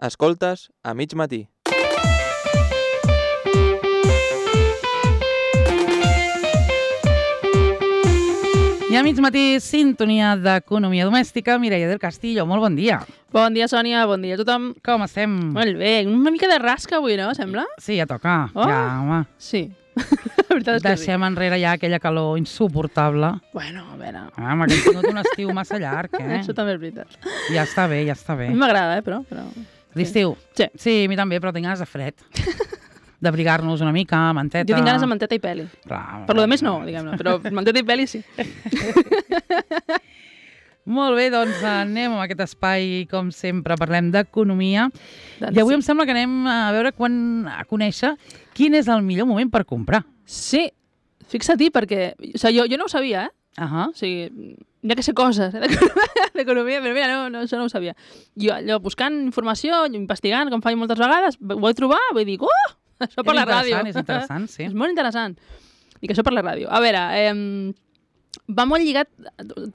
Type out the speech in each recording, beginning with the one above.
Escoltes a mig matí. I a mig matí, sintonia d'economia domèstica. Mireia del Castillo, molt bon dia. Bon dia, Sònia, bon dia a tothom. Com estem? Molt bé, una mica de rasca avui, no, sembla? Sí, ja toca. Oh. Ja, home. Sí, la veritat és que Deixem enrere ja aquella calor insuportable. Bueno, a veure... Home, que hem tingut un estiu massa llarg, Això també és veritat. Ja està bé, ja està A bé. mi m'agrada, però... L'estiu? Sí. Sí, a mi també, però tinc ganes de fred. D'abrigar-nos una mica, manteta... Jo tinc ganes de manteta i peli. Clar, Per lo de més no, diguem-ne, però manteta i peli sí. Molt bé, doncs anem a aquest espai, com sempre, parlem d'economia. Doncs I avui sí. em sembla que anem a veure a conèixcer quin és el millor moment per comprar. Sí, fixa-t'hi, perquè... O sigui, jo no ho sabia, eh? O sigui, ja que sé coses d'economia, però mira, no, això no ho sabia. Jo, allò, buscant informació, investigant, com faig moltes vegades, ho vaig trobar, vull dir, això per la ràdio. És interessant, sí. És molt interessant. I que això per la ràdio. A veure, va molt lligat...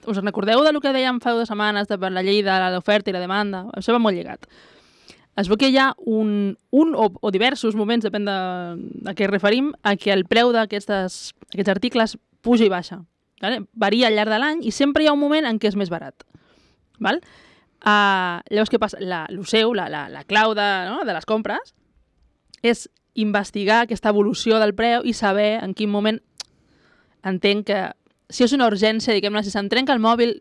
Us recordeu del que dèiem fa 2 setmanes per la llei de l'oferta i la demanda? Això va molt lligat. Es veu que hi ha un o diversos moments, depèn de què referim, a què el preu d'aquests articles puja i baixa. Vale? Varia al llarg de l'any i sempre hi ha un moment en què és més barat. Val? Llavors, què passa? La clau de les compres és investigar aquesta evolució del preu i saber en quin moment entenc que si és una urgència, diguem-ne, si se'm trenca el mòbil,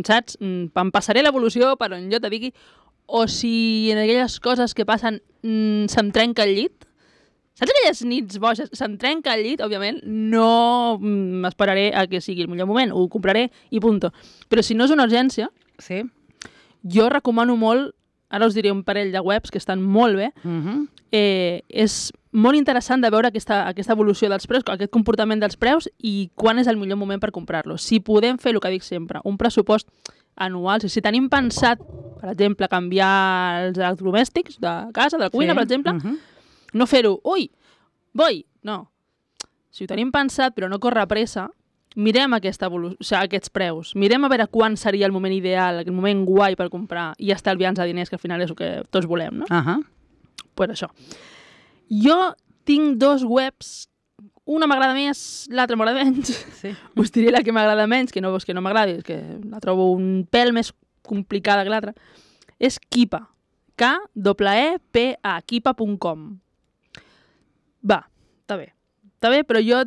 saps? Em passaré l'evolució per on jo te digui, o si en aquelles coses que passen se'm trenca el llit. Saps aquelles nits boges? Se'm trenca el llit, òbviament, no m'esperaré a que sigui el millor moment, ho compraré i punto. Però si no és una urgència, Sí. jo recomano molt, ara us diré un parell de webs que estan molt bé, és molt interessant de veure aquesta evolució dels preus, aquest comportament dels preus i quan és el millor moment per comprar-los. Si podem fer, el que dic sempre, un pressupost anual, si tenim pensat, per exemple, canviar els electrodomèstics de casa, de la cuina, per exemple, no fer-ho, no. Si ho tenim pensat, però no corre pressa, mirem aquests preus, mirem a veure quan seria el moment ideal, el moment guai per comprar i estalviar-nos diners, que al final és el que tots volem, no? Pues això. Jo tinc 2 webs, una m'agrada més, l'altra m'agrada menys. Sí. Us diré la que m'agrada menys, que no és que no m'agradi, és que la trobo un pèl més complicada que l'altra. És Keepa. K-E-P-A, keepa.com. Va, està bé. Està bé, però jo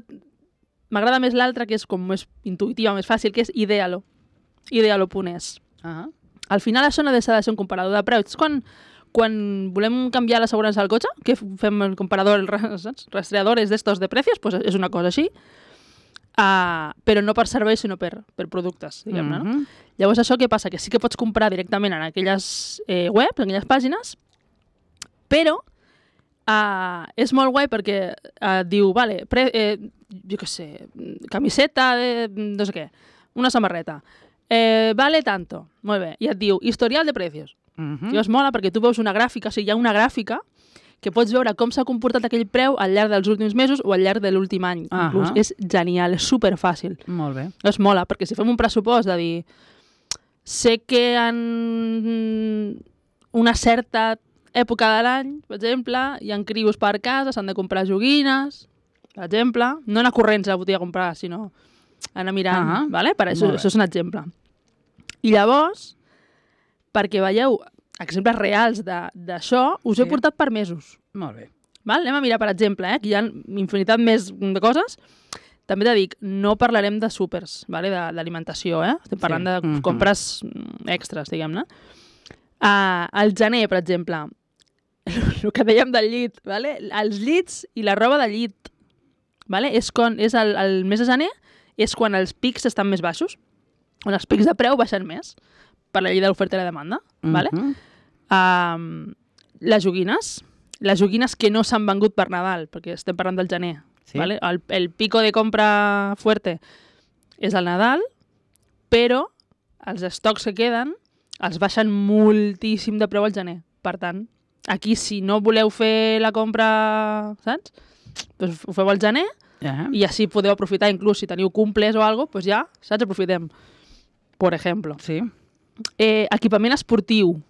m'agrada més l'altra, que és com més intuïtiva, més fàcil, que és Idealo. Idealo.es. Al final això no deixa de ser un comparador de preus. Quan volem canviar l'assegurança del cotxe, que fem el comparador, saps? Rastreadores d'estos de precios, pues és una cosa així, però no per serveis, sinó per productes, diguem-ne, no? Llavors això què passa? Que sí que pots comprar directament en aquelles webs, en aquelles pàgines, però és molt guai perquè diu, vale, jo què sé, camiseta de no sé què, una samarreta, vale tanto, molt bé, i et diu historial de precios. Llavors mola perquè tu veus una gràfica, o sigui, hi ha una gràfica que pots veure com s'ha comportat aquell preu al llarg dels últims mesos o al llarg de l'últim any. Inclús és genial, és superfàcil. Molt bé. És mola, perquè si fem un pressupost de dir sé que en una certa època de l'any, per exemple, hi ha crios per casa, s'han de comprar joguines, per exemple, no anar corrents a la botiga a comprar, sinó anar mirant, vale? Per això és un exemple. I llavors, perquè veieu exemples reals d'això, us he portat per mesos. Molt bé. Val? Anem a mirar, per exemple, que hi ha infinitat més de coses. També t'he dit, no parlarem de súpers, vale? D'alimentació, estem parlant de compres extres, diguem-ne. Al gener, per exemple, el que dèiem del llit, vale? Els llits i la roba de llit, vale? És el mes de gener, és quan els pics estan més baixos, on els pics de preu baixen més, per la llei de l'oferta i la demanda. Vale? Les joguines que no s'han vengut per Nadal, perquè estem parlant del gener. Sí. Vale? El pico de compra fuerte és el Nadal, però els estocs que queden els baixen moltíssim de preu al gener. Per tant, aquí si no voleu fer la compra, saps? Doncs ho feu al gener i així podeu aprofitar, inclús si teniu cumples o alguna cosa, doncs ja, saps? Aprofitem. Per exemple. Sí. Equipament esportiu.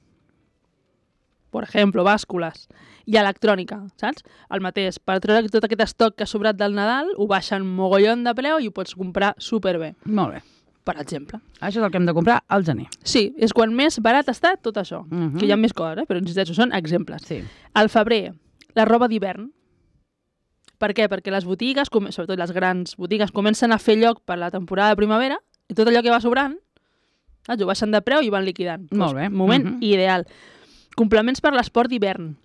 per exemple, bàscules, i electrònica, saps? El mateix, per treure tot aquest estoc que ha sobrat del Nadal, ho baixen mogollon de preu i ho pots comprar superbé, Molt bé. per exemple. Això és el que hem de comprar al gener. Sí, és quan més barat està tot això, Mhm. que hi ha més coses, però insisteixo, són exemples. Sí. Al febrer, la roba d'hivern. Per què? Perquè les botigues, sobretot les grans botigues, comencen a fer lloc per la temporada de primavera i tot allò que va sobrant, saps? Ho baixen de preu i van liquidant. Molt bé. Moment ideal. Complements per l'esport d'hivern.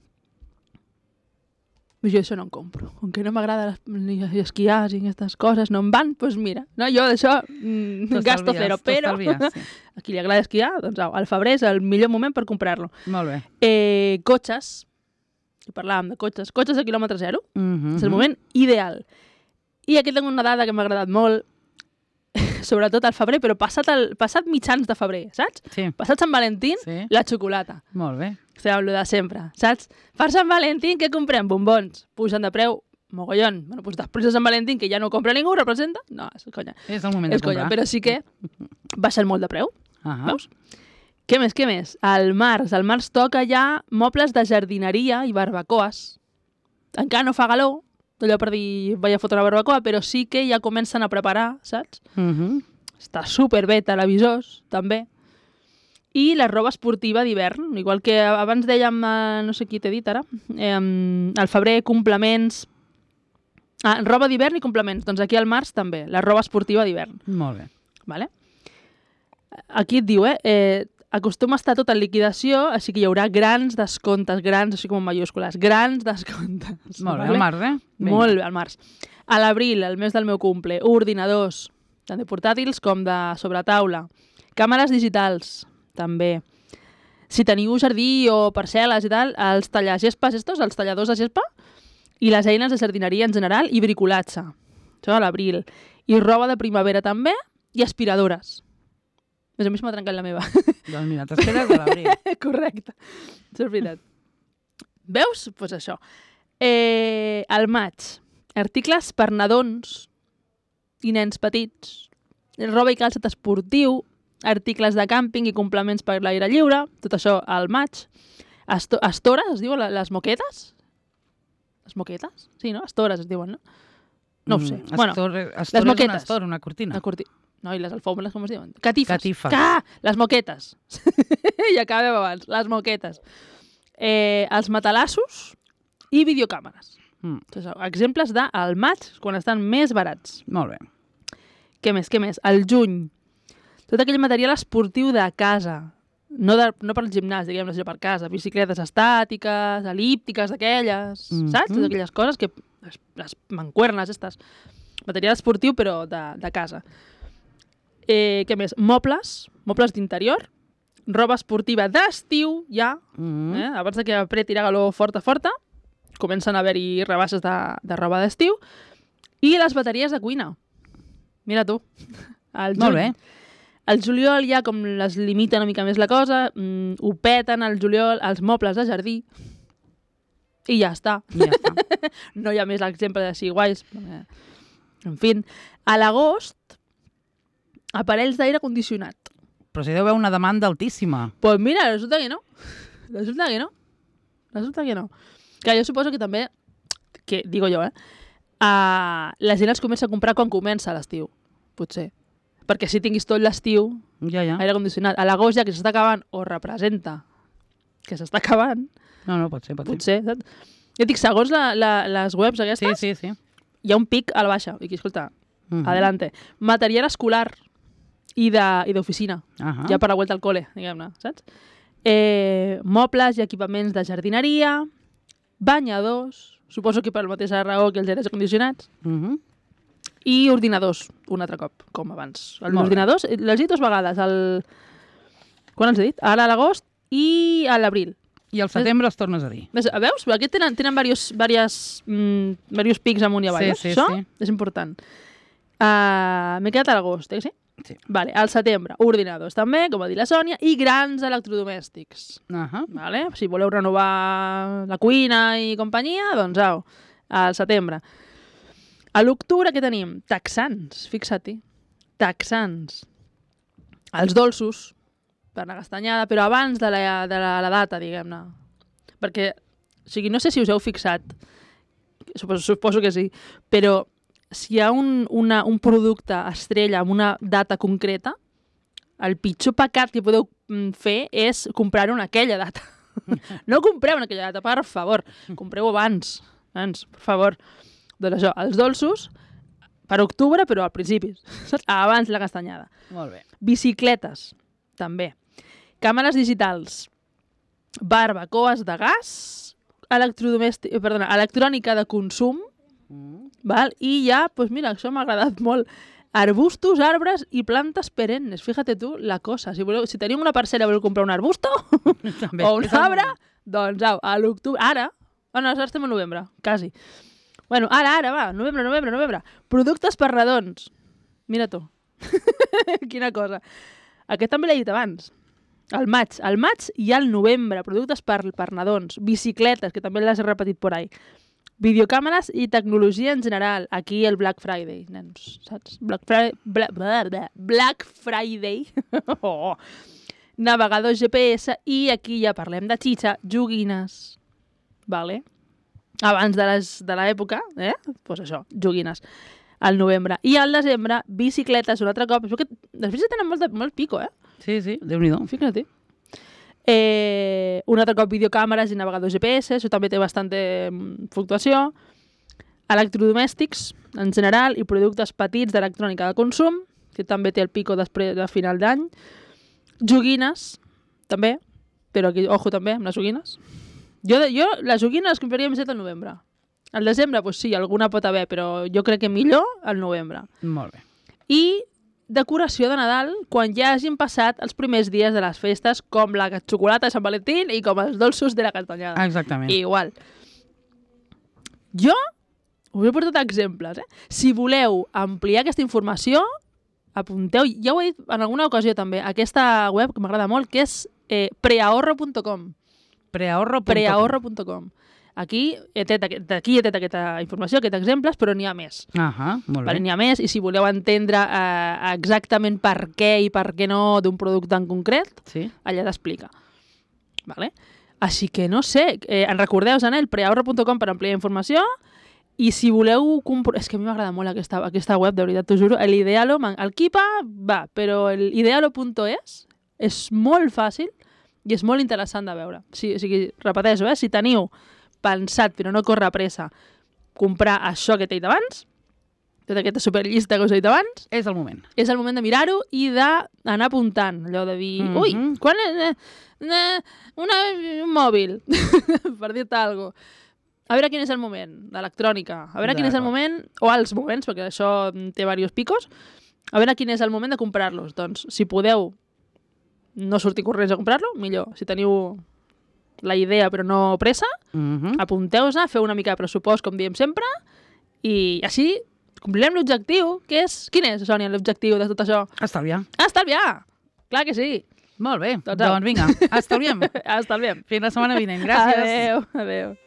Jo això no em compro. Com que no m'agrada ni esquiar i aquestes coses, no em van, doncs mira. No, jo d'això gasto cero, però Sí. a qui li agrada esquiar, doncs au, al febrer és el millor moment per comprar-lo. Molt bé. Cotxes. I parlàvem de cotxes. Cotxes de quilòmetre zero. Mhm. És el moment ideal. I aquí tinc una dada que m'ha agradat molt, sobretot al febrer, però passat mitjans de febrer, saps? Sí. Passat Sant Valentín, Sí. la xocolata. Molt bé. Estem amb lo de sempre, saps? Per Sant Valentín, què comprem? Bombons. Pugen de preu, mogollon. Bueno, doncs després de Sant Valentín, que ja no compra ningú, representa? No, és conya. És el moment És de comprar. conya, però sí que baixen molt de preu. Ahà. Veus? Què més? Al març toca ja mobles de jardineria i barbacoes. Encara no fa galó, allò per dir vaig a fotre una barbacoa, però sí que ja comencen a preparar, saps? Mhm. Està superbé, televisors, també. I la roba esportiva d'hivern, igual que abans dèiem, no sé qui t'he dit ara, al febrer complements... roba d'hivern i complements, doncs aquí al març també, la roba esportiva d'hivern. Molt bé. Vale? Aquí et diu, acostuma a estar tot en liquidació, així que hi haurà grans descomptes, grans, així com en mayúscules, grans descomptes. Molt bé, vale? al març, Vinga. Molt bé, al març. A l'abril, el mes del meu cumple, ordinadors, tant de portàtils com de sobretaula. Càmeres digitals, també. Si teniu jardí o parcel·les i tal, els tallagespes, els talladors de gespa, i les eines de jardineria en general i bricolatge. Això a l'abril. I roba de primavera també, i aspiradores. A mi se m'ha trencat la meva. Doncs mira, t'esperes a l'abril. Correcte. Això és veritat. Veus? Doncs pues això. Al maig, articles per nadons i nens petits, roba i calçat esportiu, articles de càmping i complements per l'aire lliure, tot això al maig. Estores, es diuen les moquetes? Les moquetes? Sí, no? Estores es diuen, no? No ho sé. Bueno, les moquetes. Una cortina. No, i les alfombres, com es diuen? Catifes. Catifes. Les moquetes. I acabem abans. Les moquetes. Els matalassos i videocàmeres. Exemples del maig, quan estan més barats. Molt bé. Què més? Al juny. Tot aquell material esportiu de casa. No per al gimnàs, diguem-ne, sinó per casa. Bicicletes estàtiques, elíptiques, d'aquelles, saps? Totes aquelles coses que... Les mancuernes, aquestes. Material esportiu, però de casa. Què més? Mobles d'interior. Roba esportiva d'estiu, ja. Abans que apreti la galó forta, comencen a haver-hi rebaixes de roba d'estiu. I les bateries de cuina. Mira tu. Molt bé. Al juliol ja com les limita una mica més la cosa, ho peten al juliol els mobles de jardí i ja està. No hi ha més exemples així guais. En fi, a l'agost, aparells d'aire condicionat. Però si deu haver una demanda altíssima. Pues mira, resulta que no. Resulta que no. Que jo suposo que també, que digo jo, la gent els comença a comprar quan comença l'estiu, potser. Perquè si tinguis tot l'estiu, Ja. aire condicionat, a l'agost ja que s'està acabant, o representa que s'està acabant, No, pot ser. potser, saps? Jo dic, segons les webs aquestes, Sí. hi ha un pic a la baixa. I aquí, escolta, adelante. Material escolar i d'oficina, ja per la vuelta al cole, diguem-ne, saps? Mobles i equipaments de jardineria, banyadors, suposo que per la mateixa raó que els aires condicionats, i ordinadors, un altre cop, com abans. Els ordinadors, l'he dit 2 vegades, quan els he dit? Ara a l'agost i a l'abril. I al setembre els tornes a dir. Veus? Aquí tenen diversos pics amunt i avall. Sí. Això és important. M'he quedat a l'agost, que sí? Sí. Vale, al setembre, ordinadors també, com va dir la Sònia, i grans electrodomèstics. Vale? Si voleu renovar la cuina i companyia, doncs au, al setembre. A l'octubre què tenim? Texans, fixa-t'hi. Texans. Els dolços, per la castanyada, però abans de la data, diguem-ne. Perquè, o sigui, no sé si us heu fixat, suposo que sí, però si hi ha un producte estrella amb una data concreta, el pitjor pecat que podeu fer és comprar-ho en aquella data. No compreu en aquella data, per favor. Compreu abans, per favor. Doncs això, els dolços, per octubre, però al principi, saps? Abans la castanyada. Molt bé. Bicicletes, també. Càmeres digitals, barbacoes de gas, electrònica de consum, val? I ja, doncs mira, això m'ha agradat molt. Arbustos, arbres i plantes perennes. Fíjate tu la cosa. Si teniu una parcel·la i voleu comprar un arbusto També, o un arbre, doncs au, a l'octubre... Ara? No, ara estem a novembre, quasi. Bueno, ara, va, novembre. Productes per nadons. Mira tu. Quina cosa. Aquest també l'he dit abans. Al maig i al novembre. Productes per nadons. Bicicletes, que també les he repetit por ahí. Videocàmeres i tecnologia en general. Aquí el Black Friday, nens, saps? Black Friday. Oh. Navegadors GPS i aquí ja parlem de xitxa, joguines. Vale? Abans de l'època, pues això, joguines. Al novembre. I al desembre, bicicletes un altre cop. Les bicicletes tenen molt pico, Sí, Déu-n'hi-do. Fíjate. Un altre cop videocàmeres i navegadors GPS, això també té bastanta fluctuació. Electrodomèstics, en general, i productes petits d'electrònica de consum, que també té el pico després de final d'any. Joguines, també, però aquí, ojo també, amb les joguines. Jo les joguines les compraria més al novembre. Al desembre, doncs sí, alguna pot haver, però jo crec que millor al novembre. Molt bé. I decoració de Nadal quan ja hagin passat els primers dies de les festes, com la xocolata de Sant Valentín i com els dolços de la castanyada. Exactament. Igual. Jo us he portat exemples. Si voleu ampliar aquesta informació, apunteu, ja ho he dit en alguna ocasió també, aquesta web que m'agrada molt, que és preahorro.com. Preahorro.com. Aquí he tret aquesta informació, aquests exemples, però n'hi ha més. Molt bé. N'hi ha més, i si voleu entendre exactament per què i per què no d'un producte en concret, sí, allà t'explica. Vale? Així que no sé, en recordeu, el preahorro.com per ampliar informació, i si voleu... És que a mi m'agrada molt aquesta web, de veritat, t'ho juro. L'idealo, el Kipa va, però l'idealo.es és molt fàcil i és molt interessant de veure. O sigui, repeteixo, si teniu pensat, però no corre pressa, comprar això que t'he dit abans, tota aquesta superllista que us he dit abans, és el moment. És el moment de mirar-ho i d'anar apuntant. Allò de dir, ui, quan un mòbil, per dir-te alguna cosa. A veure quin és el moment d'electrònica, a veure quin és el moment, o els moments, perquè això té diversos picos, a veure quin és el moment de comprar-los. Doncs, si podeu no sortir corrents a comprar-lo, millor. Si teniu la idea però no pressa, apunteu-se, feu una mica de pressupost, com diem sempre, i així complirem l'objectiu, que és... Quin és, Sònia, l'objectiu de tot això? Estalviar. Estalviar! Clar que sí. Molt bé, doncs vinga, estalviem. Estalviem. Fins la setmana vinent, gràcies. Adéu.